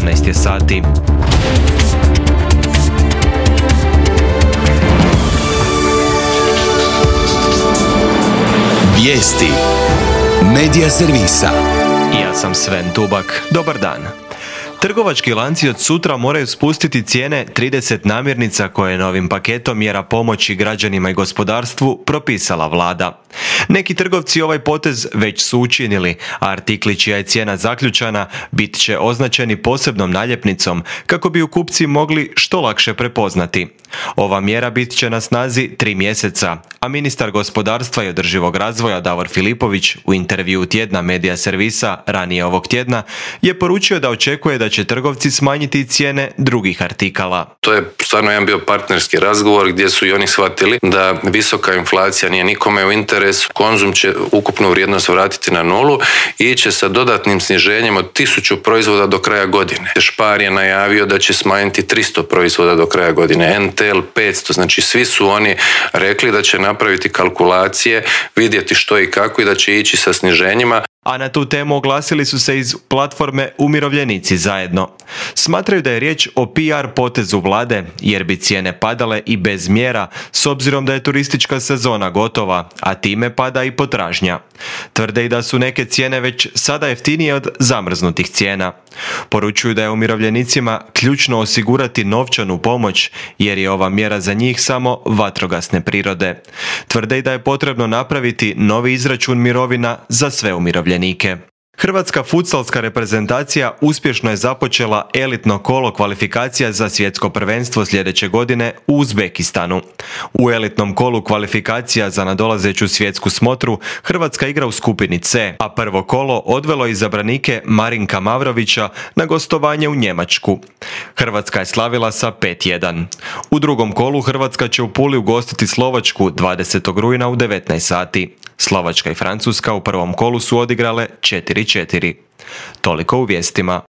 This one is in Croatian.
18 je sati. Vijesti Medija servisa. Ja sam Sven Tubak. Dobar dan. Trgovački lanci od sutra moraju spustiti cijene 30 namirnica koje je novim paketom mjera pomoći građanima i gospodarstvu propisala vlada. Neki trgovci ovaj potez već su učinili, a artikli čija je cijena zaključana bit će označeni posebnom naljepnicom kako bi ju kupci mogli što lakše prepoznati. Ova mjera bit će na snazi 3 mjeseca, a ministar gospodarstva i održivog razvoja Davor Filipović u intervjuu tjedna Medija servisa ranije ovog tjedna je poručio da očekuje da će trgovci smanjiti cijene drugih artikala. To je stvarno jedan bio partnerski razgovor gdje su i oni shvatili da visoka inflacija nije nikome u interesu. Konzum će ukupnu vrijednost vratiti na nulu i iće sa dodatnim sniženjem od 1000 proizvoda do kraja godine. Spar je najavio da će smanjiti 300 proizvoda do kraja godine, NTL 500, znači svi su oni rekli da će napraviti kalkulacije, vidjeti što i kako i da će ići sa sniženjima. A na tu temu oglasili su se iz platforme Umirovljenici zajedno. Smatraju da je riječ o PR potezu vlade jer bi cijene padale i bez mjera s obzirom da je turistička sezona gotova, a time pada i potražnja. Tvrde i da su neke cijene već sada jeftinije od zamrznutih cijena. Poručuju da je umirovljenicima ključno osigurati novčanu pomoć jer je ova mjera za njih samo vatrogasne prirode. Tvrde i da je potrebno napraviti novi izračun mirovina za sve umirovljenike. Hrvatska futsalska reprezentacija uspješno je započela elitno kolo kvalifikacija za svjetsko prvenstvo sljedeće godine u Uzbekistanu. U elitnom kolu kvalifikacija za nadolazeću svjetsku smotru Hrvatska igra u skupini C, a prvo kolo odvelo izabranike Marinka Mavrovića na gostovanje u Njemačku. Hrvatska je slavila sa 5:1. U drugom kolu Hrvatska će u Puli ugostiti Slovačku 20. rujna u 19 sati. Slovačka i Francuska u prvom kolu su odigrale 4:4. Toliko u vijestima.